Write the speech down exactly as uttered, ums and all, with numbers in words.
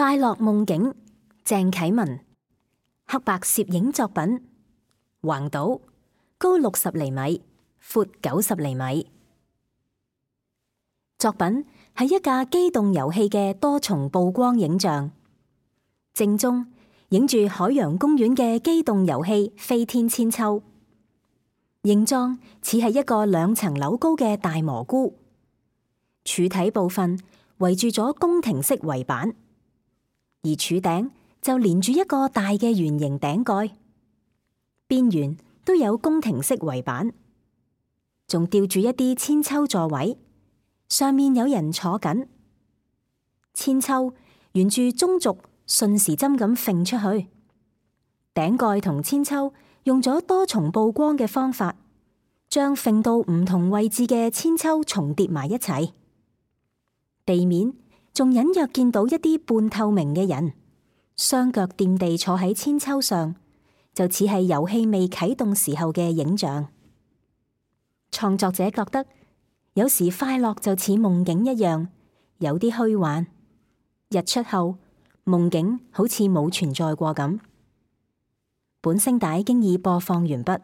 快樂夢境，鄭啟文，黑白攝影作品，橫島，高六十厘米，闊九十厘米。作品係一架機動遊戲嘅多重曝光影像，正中影住海洋公園嘅機動遊戲飛天千秋，形狀似係一個兩層樓高嘅大蘑菇，柱體部分圍住咗宮廷式圍板，而柱頂就連住一個大嘅圓形頂蓋，邊緣都有宮廷式圍板，仲吊住一啲千秋座位，上面有人坐緊。千秋沿住中軸順時針咁揈出去，頂蓋同千秋用咗多重曝光嘅方法，將揈到唔同位置嘅千秋重疊埋一齊。地面仲隱約見到一啲半透明嘅人，雙腳掂地坐喺千秋上，就似係遊戲未啟動時候嘅影像。創作者覺得，有時快樂就似夢境一樣，有啲虛幻。日出後，夢境好似冇存在過咁。本聲帶經已播放完畢。